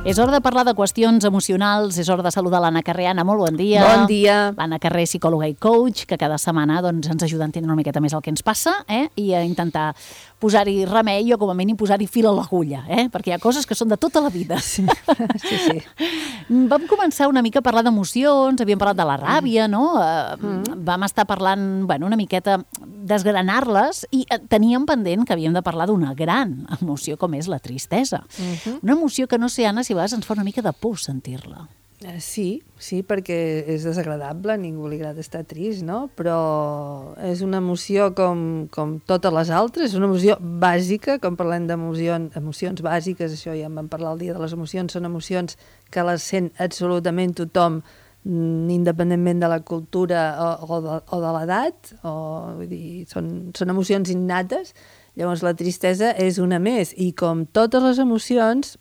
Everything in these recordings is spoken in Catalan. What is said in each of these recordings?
És hora de parlar de qüestions emocionals, és hora de saludar l'Anna Carrer. Anna, molt bon dia. Bon dia. L'Anna Carrer, psicòloga i coach, que cada setmana ens ajuda a entendre una miqueta més el que ens passa i a intentar posar-hi remei o com a mínim posar-hi fil a l'agulla, perquè hi ha coses que són de tota la vida. Sí. Vam començar una mica a parlar d'emocions, havíem parlat de la ràbia, no? Vam estar parlant una miqueta desgranar-les i teníem pendent que havíem de parlar d'una gran emoció com és la tristesa. Una emoció que no sé, Anna, si a vegades ens fa una mica de por sentir-la. Sí, perquè és desagradable, a ningú li agrada estar trist, no? Però és una emoció com totes les altres, és una emoció bàsica, com parlem d'emocions bàsiques, això ja en vam parlar el dia de les emocions, són emocions que les sent absolutament tothom, independentment de la cultura o de l'edat, vull dir, són emocions innates. Llavors la tristesa és una més, i com totes les emocions,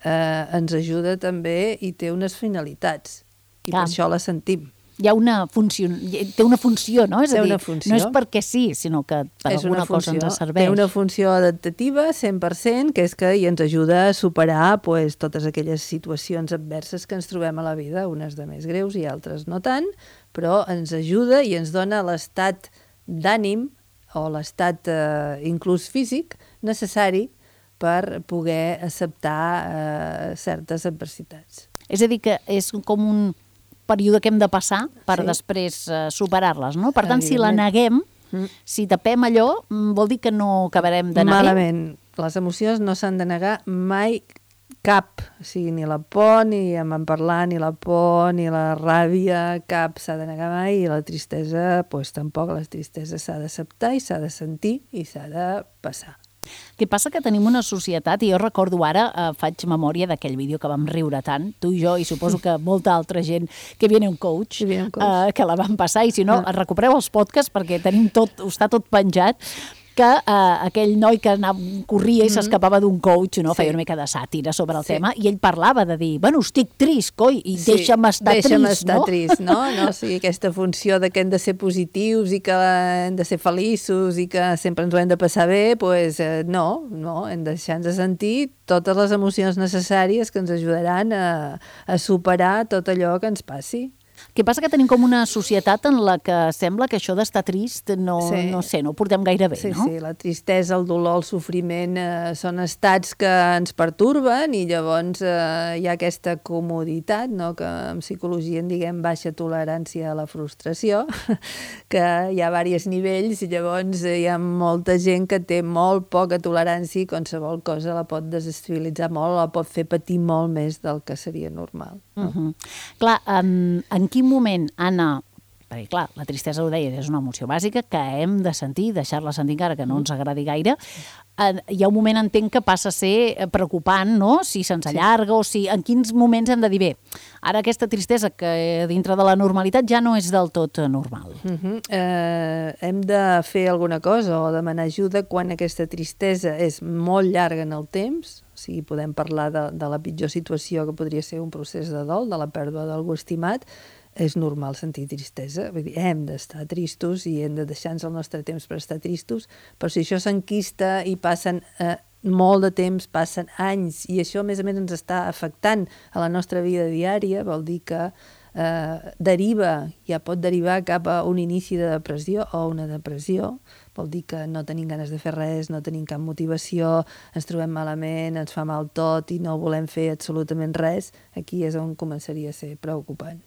ens ajuda també i té unes finalitats, i per això la sentim. Hi ha una funció, té una funció, no? És a dir, no és perquè sí, sinó que per alguna cosa ens serveix. Té una funció adaptativa 100%, que és que ens ajuda a superar totes aquelles situacions adverses que ens trobem a la vida, unes de més greus i altres no tant, però ens ajuda i ens dona l'estat d'ànim o l'estat inclús físic necessari per poder acceptar certes adversitats. És a dir, que és com un període que hem de passar per després superar-les, no? Per tant, si la neguem, si tapem allò, vol dir que no acabarem d'anar bé? Malament. Les emocions no s'han de negar mai cap, o sigui, ni la por, ni en parlar, ni la por, ni la ràbia, cap s'ha de negar mai, i la tristesa, tampoc. La tristesa s'ha d'acceptar i s'ha de sentir i s'ha de passar. Què passa? Que tenim una societat, i jo recordo ara, faig memòria d'aquell vídeo que vam riure tant, tu i jo, i suposo que molta altra gent, que viene un coach, que la vam passar, i si no, recupereu els podcasts perquè tenim tot, està tot penjat, que aquell noi que corria i s'escapava d'un coach, no? Feia una mica de sàtira sobre el tema, i ell parlava de dir, estic trist, coi, i deixa'm estar trist, no? O sigui, aquesta funció de que hem de ser positius i que hem de ser feliços i que sempre ens ho hem de passar bé, no, hem de deixar-nos sentir totes les emocions necessàries que ens ajudaran a superar tot allò que ens passi. Què passa? Que tenim com una societat en la que sembla que això d'estar trist no ho portem gaire bé, no? Sí, la tristesa, el dolor, el sofriment són estats que ens pertorben, i llavors hi ha aquesta comoditat, no? Que en psicologia en diguem baixa tolerància a la frustració, que hi ha diversos nivells, i llavors hi ha molta gent que té molt poca tolerància i qualsevol cosa la pot desestabilitzar molt, la pot fer patir molt més del que seria normal. Clar, en quin moment, Anna, perquè clar, la tristesa, ho deia, és una emoció bàsica que hem de sentir, deixar-la sentir encara que no ens agradi gaire, hi ha un moment, entenc, que passa a ser preocupant, no? Si se'ns allarga o si... En quins moments hem de dir, bé, ara aquesta tristesa que dintre de la normalitat ja no és del tot normal. Hem de fer alguna cosa o demanar ajuda quan aquesta tristesa és molt llarga en el temps. O sigui, podem parlar de la pitjor situació que podria ser un procés de dol, de la pèrdua d'algú estimat. És normal sentir tristesa, vull dir, hem d'estar tristos i hem de deixar-nos el nostre temps per estar tristos, però si això s'enquista i passen molt de temps, passen anys, i això a més ens està afectant a la nostra vida diària, vol dir que pot derivar cap a un inici de depressió o una depressió. Vol dir que no tenim ganes de fer res, no tenim cap motivació, ens trobem malament, ens fa mal tot i no volem fer absolutament res. Aquí és on començaria a ser preocupant.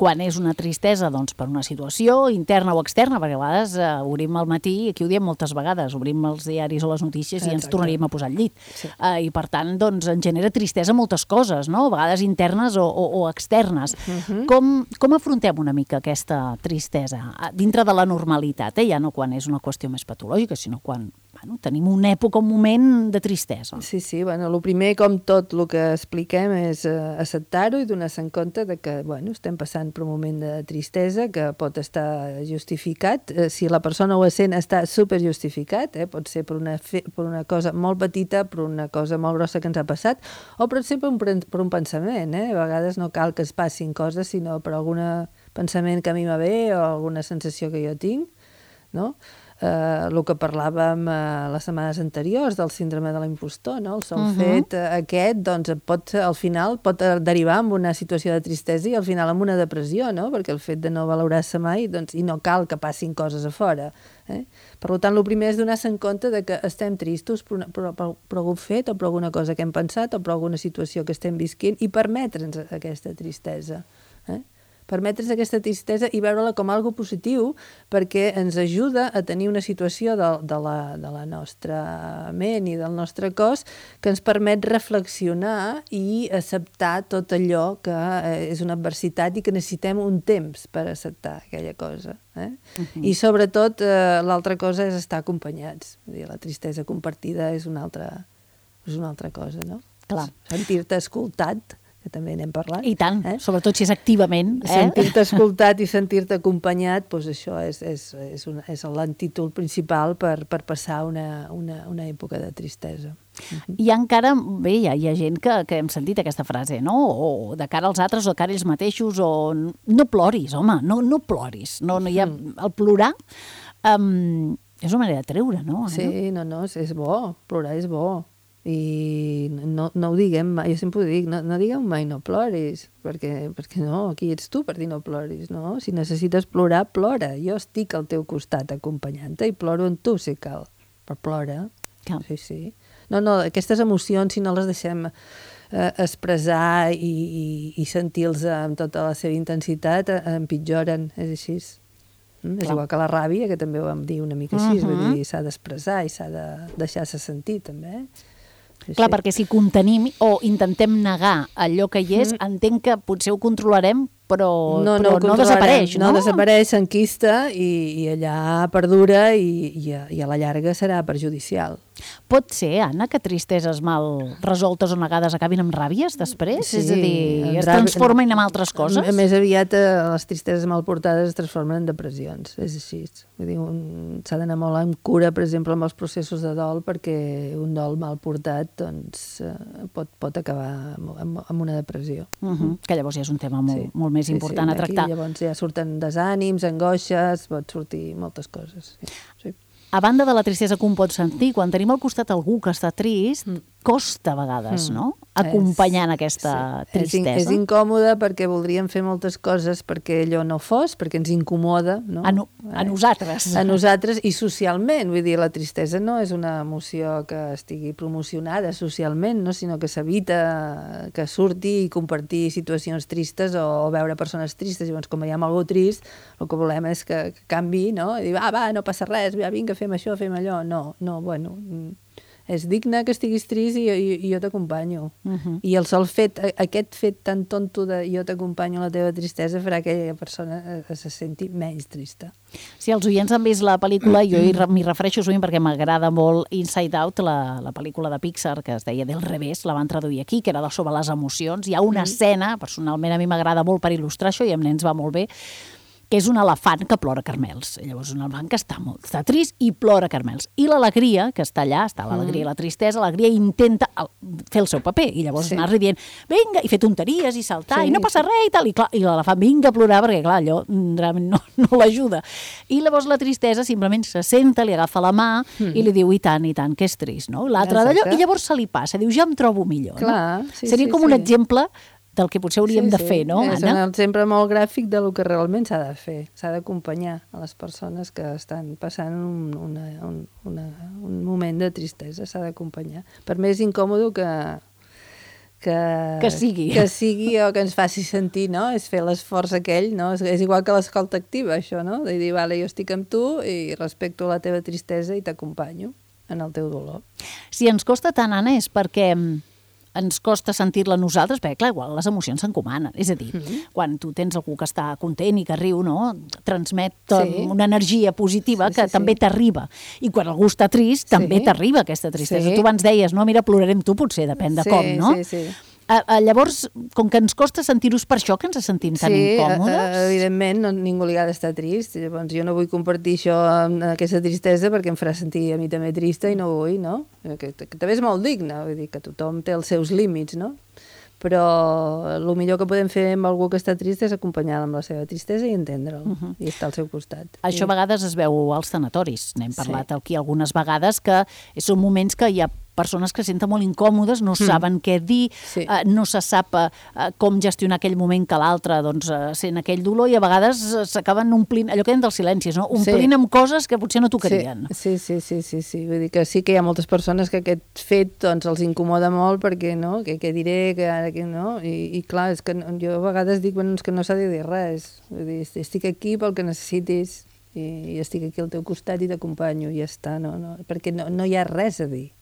Quan és una tristesa, doncs, per una situació interna o externa, perquè a vegades obrim al matí, i aquí ho diem moltes vegades, obrim els diaris o les notícies i ens tornaríem a posar al llit. I per tant, doncs, ens genera tristesa moltes coses, no? A vegades internes o externes. Com afrontem una mica aquesta tristesa? Dintre de la normalitat, ja no quan és una qüestió més patològica, sinó quan tenim una època, un moment de tristesa. Sí, el primer, com tot el que expliquem, és acceptar-ho i donar-se en compte de que estem passant per un moment de tristesa que pot estar justificat. Si la persona ho sent, està superjustificat, pot ser per una cosa molt petita, per una cosa molt grossa que ens ha passat, o pot ser per un pensament. A vegades no cal que es passin coses, sinó per algun pensament que a mi va bé o alguna sensació que jo tinc, no? el que parlàvem les setmanes anteriors del síndrome de l'impostor, no? El sol fet aquest, doncs, al final pot derivar en una situació de tristesa i al final en una depressió, no? Perquè el fet de no valorar-se mai, doncs, i no cal que passin coses a fora. Per tant, el primer és donar-se en compte de que estem tristos per algun fet o per alguna cosa que hem pensat o per alguna situació que estem visquint i permetre'ns aquesta tristesa. Permetre's aquesta tristesa i veure-la com algo positiu perquè ens ajuda a tenir una situació de la nostra ment i del nostre cos que ens permet reflexionar i acceptar tot allò que és una adversitat i que necessitem un temps per acceptar aquella cosa. I sobretot l'altra cosa és estar acompanyats. La tristesa compartida és una altra cosa, no? Clar. Sentir-te escoltat, que també n'hem parlat. I tant, sobretot si és activament. Sentir-te escoltat i sentir-te acompanyat, doncs això és l'antítol principal per passar una època de tristesa. I encara, bé, hi ha gent que hem sentit aquesta frase, no? O de cara als altres, o de cara a ells mateixos, o no ploris, home, no ploris. No hi ha... El plorar és una manera de treure, no? Sí, no, és bo, plorar és bo. I no ho diguem mai, jo sempre ho dic, no digueu mai no ploris, perquè no, qui ets tu per dir no ploris, no? Si necessites plorar, plora, jo estic al teu costat acompanyant-te i ploro en tu si cal, però plora. Sí. No, aquestes emocions, si no les deixem expressar i sentir-los amb tota la seva intensitat, empitjoren, és així. És igual que la ràbia, que també ho vam dir una mica així, vull dir, s'ha d'expressar i s'ha de deixar-se sentir, també. Clar, perquè si contenim o intentem negar allò que hi és, entenc que potser ho controlarem, però no desapareix, no? No desapareix, s'enquista i allà perdura i a la llarga serà perjudicial. Pot ser, Anna, que tristeses mal resoltes o negades acabin amb ràbies després? Sí, és a dir, es transformen en altres coses? Més aviat les tristeses mal portades es transformen en depressions, és així. Vull dir, s'ha d'anar molt amb cura, per exemple, amb els processos de dol, perquè un dol mal portat doncs, pot acabar amb una depressió. Que llavors ja és un tema molt més important a tractar. Aquí llavors ja surten desànims, angoixes, pot sortir moltes coses. Sí. A banda de la tristesa que un pot sentir, quan tenim al costat algú que està trist, costa a vegades, no? Acompanyant aquesta tristesa. És incòmode perquè voldríem fer moltes coses perquè allò no fos, perquè ens incomoda, no? A nosaltres. A nosaltres i socialment. Vull dir, la tristesa no és una emoció que estigui promocionada socialment, no? Sinó que s'evita que surti i compartir situacions tristes o veure persones tristes. Llavors, com veiem algú trist, el que volem és que canvi, no? I dir, va, no passa res, vinga, fem això, fem allò. No, bueno... És digne que estiguis trist i jo t'acompanyo. I el sol fet, aquest fet tan tonto de jo t'acompanyo a la teva tristesa farà que aquella persona se senti menys trista. Si els oients han vist la pel·lícula, jo m'hi refereixo sovint perquè m'agrada molt Inside Out, la pel·lícula de Pixar que es deia Del revés, la van traduir aquí, que era sobre les emocions. Hi ha una escena, personalment a mi m'agrada molt per il·lustrar això i amb nens va molt bé, que és un elefant que plora caramels. Llavors, un elefant que està trist i plora caramels. I l'alegria, que està allà, està l'alegria i la tristesa, l'alegria intenta fer el seu paper. I llavors anar-li dient, vinga, i fer tonteries i saltar, i no passa res i tal. I l'elefant vinga a plorar, perquè clar, allò realment no l'ajuda. I llavors la tristesa simplement se senta, li agafa la mà i li diu, i tant, que és trist, no? L'altre d'allò, i llavors se li passa, diu, ja em trobo millor. Clar, seria com un exemple del que potser hauríem de fer, no, Anna? És un exemple molt gràfic del que realment s'ha de fer. S'ha d'acompanyar a les persones que estan passant un moment de tristesa. S'ha d'acompanyar. Per més incòmode que sigui o que ens faci sentir, no? És fer l'esforç aquell, no? És igual que l'escolta activa, això, no? De dir, vale, jo estic amb tu i respecto la teva tristesa i t'acompanyo en el teu dolor. Si ens costa tant, Anna, és perquè ens costa sentir-la nosaltres, perquè, clar, igual les emocions s'encomanen. És a dir, quan tu tens algú que està content i que riu, no? Transmet una energia positiva que també t'arriba. I quan algú està trist, també t'arriba aquesta tristesa. Tu abans deies, no, mira, plorarem tu, potser, depèn de com, no? Sí. Llavors, com que ens costa sentir-nos per això que ens sentim tan incòmodes... Sí, evidentment, ningú li ha d'estar trist. Llavors, jo no vull compartir això amb aquesta tristesa perquè em farà sentir a mi també trista i no vull, no? Que també és molt digne, vull dir que tothom té els seus límits, no? però el millor que podem fer amb algú que està trist és acompanyar-lo amb la seva tristesa i entendre'l, i estar al seu costat. Això a vegades es veu als tanatoris, n'hem parlat aquí algunes vegades, que són moments que hi ha persones que es senten molt incòmodes, no saben què dir, no se sap com gestionar aquell moment que l'altre sent aquell dolor, i a vegades s'acaben omplint, allò que dèiem dels silencis, no? Omplint amb coses que potser no tocarien. Sí. Vull dir que sí que hi ha moltes persones que aquest fet els incomoda molt perquè, no?, què diré, que ara que no, i clar, és que jo a vegades dic, és que no s'ha de dir res, vull dir, estic aquí pel que necessitis, i estic aquí al teu costat i t'acompanyo, i ja està, perquè no hi ha res a dir.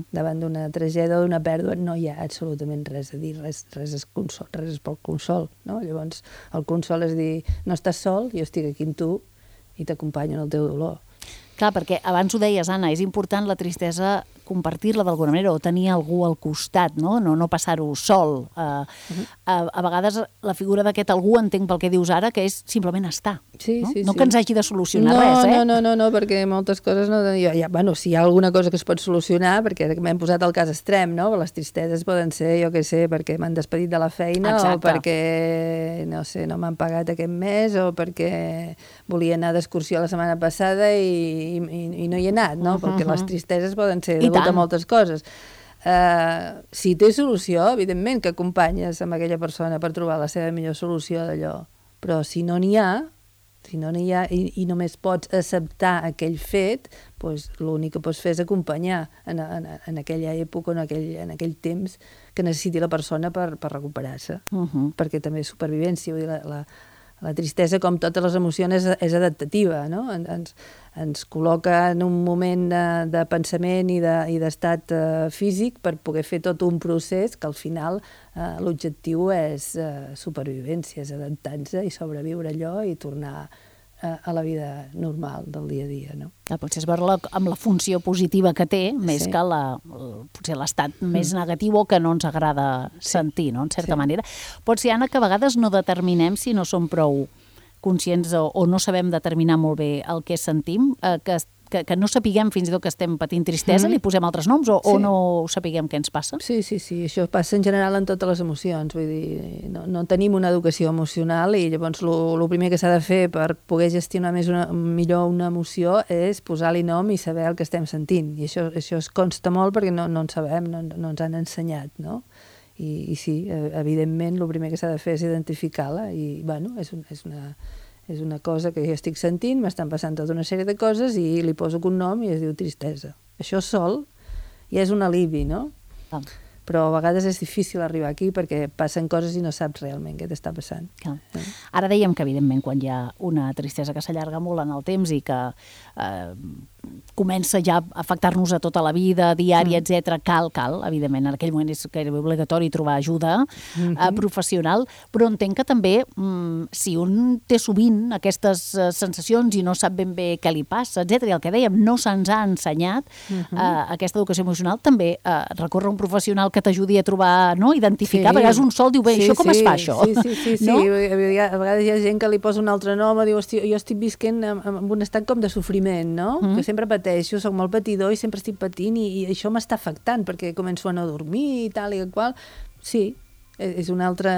Davant d'una tragèdia o d'una pèrdua no hi ha absolutament res a dir, res és consol, res és pel consol, no? Llavors, el consol és dir, no estàs sol, jo estic aquí amb tu i t'acompanyo en el teu dolor. Clar, perquè abans ho deies, Anna, és important la tristesa compartir-la d'alguna manera o tenir algú al costat, no passar-ho sol. A vegades la figura d'aquest algú, entenc pel que dius ara, que és simplement estar. No que ens hagi de solucionar res, eh? No, perquè moltes coses no... Si hi ha alguna cosa que es pot solucionar, perquè m'hem posat el cas extrem, no? Les tristeses poden ser, jo què sé, perquè m'han despedit de la feina, o perquè, no sé, no m'han pagat aquest mes, o perquè volia anar d'excursió la setmana passada i no hi he anat, no? Perquè les tristeses poden ser degut a moltes coses. Si té solució, evidentment que acompanyes amb aquella persona per trobar la seva millor solució d'allò, però si no n'hi ha i només pots acceptar aquell fet, doncs l'únic que pots fer és acompanyar en aquella època, en aquell temps que necessiti la persona per recuperar-se, perquè també és supervivència, vull dir, la tristesa, com totes les emocions, és adaptativa, no? Ens col·loca en un moment de pensament i d'estat físic per poder fer tot un procés que al final l'objectiu és supervivència, és adaptar-se i sobreviure allò i tornar a la vida normal del dia a dia, no? Potser és veure-la amb la funció positiva que té, més que potser l'estat més negatiu o que no ens agrada sentir, no?, en certa manera. Pot ser, Anna, que a vegades no determinem, si no som prou conscients o no sabem determinar molt bé el que sentim, que no sapiguem fins i tot que estem patint tristesa, li posem altres noms o no sapiguem què ens passa? Sí, això passa en general en totes les emocions, vull dir, no tenim una educació emocional i llavors el primer que s'ha de fer per poder gestionar millor una emoció és posar-li nom i saber el que estem sentint, i això es consta molt perquè no en sabem, no ens han ensenyat, no? I sí, evidentment, el primer que s'ha de fer és identificar-la i, bueno, és una cosa que jo estic sentint, m'estan passant tota una sèrie de coses i li poso un nom i es diu tristesa. Això sol ja és un alivi, no? Però a vegades és difícil arribar aquí perquè passen coses i no saps realment què t'està passant. Ara dèiem que, evidentment, quan hi ha una tristesa que s'allarga molt en el temps i que comença ja a afectar-nos a tota la vida, diària, etc. Cal, evidentment, en aquell moment és gairebé obligatori trobar ajuda professional, però entenc que també, si un té sovint aquestes sensacions i no sap ben bé què li passa, etc., i el que dèiem, no se'ns ha ensenyat aquesta educació emocional, també recórrer a un professional que t'ajudi a trobar, no?, identificar, a vegades un sol diu, bé, això com es fa, això? Sí, a vegades hi ha gent que li posa un altre nom, diu, hòstia, jo estic visquent en un estat com de sofriment, no? Que sempre pateixo, soc molt patidor i sempre estic patint i això m'està afectant perquè començo a no dormir i tal i qual. Sí, és un altre,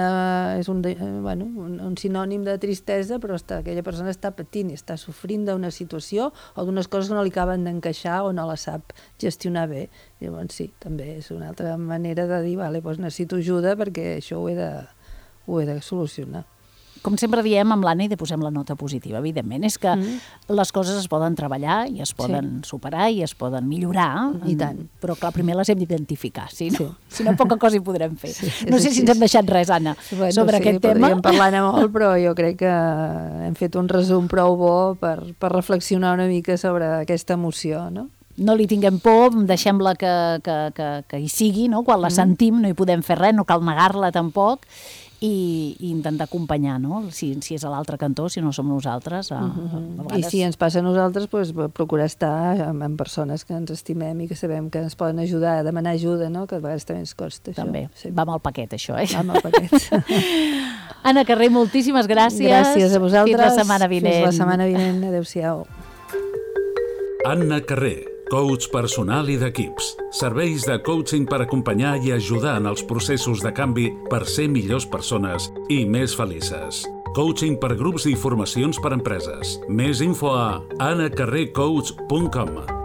un sinònim de tristesa, però aquella persona està patint i està sofrint d'una situació o d'unes coses que no li acaben d'encaixar o no la sap gestionar bé. Llavors sí, també és una altra manera de dir, vale, doncs necessito ajuda perquè això ho he de solucionar. Com sempre diem amb l'Anna, i de posem la nota positiva, evidentment, és que les coses es poden treballar i es poden superar i es poden millorar, i tant. Però clar, primer les hem d'identificar, si no poca cosa hi podrem fer. No sé si ens hem deixat res, Anna, sobre aquest tema. Podríem parlar-ne molt, però jo crec que hem fet un resum prou bo per reflexionar una mica sobre aquesta emoció, no? No li tinguem por, deixem-la que hi sigui, no? Quan la sentim no hi podem fer res, no cal negar-la tampoc, i intentar acompanyar, no? Si és a l'altre cantó, si no som nosaltres. I si ens passa a nosaltres, procurar estar amb persones que ens estimem i que sabem que ens poden ajudar, a demanar ajuda, no? Que a vegades també ens costa. També, va amb el paquet, això, Va amb el paquet. Anna Carrer, moltíssimes gràcies. Gràcies a vosaltres. Fins la setmana vinent. Fins la setmana vinent. Adéu-siau. Anna Carrer, Coach personal i d'equips. Serveis de coaching per acompanyar i ajudar en els processos de canvi per ser millors persones i més felices. Coaching per grups i formacions per empreses. Més info a anacarrercoach.com.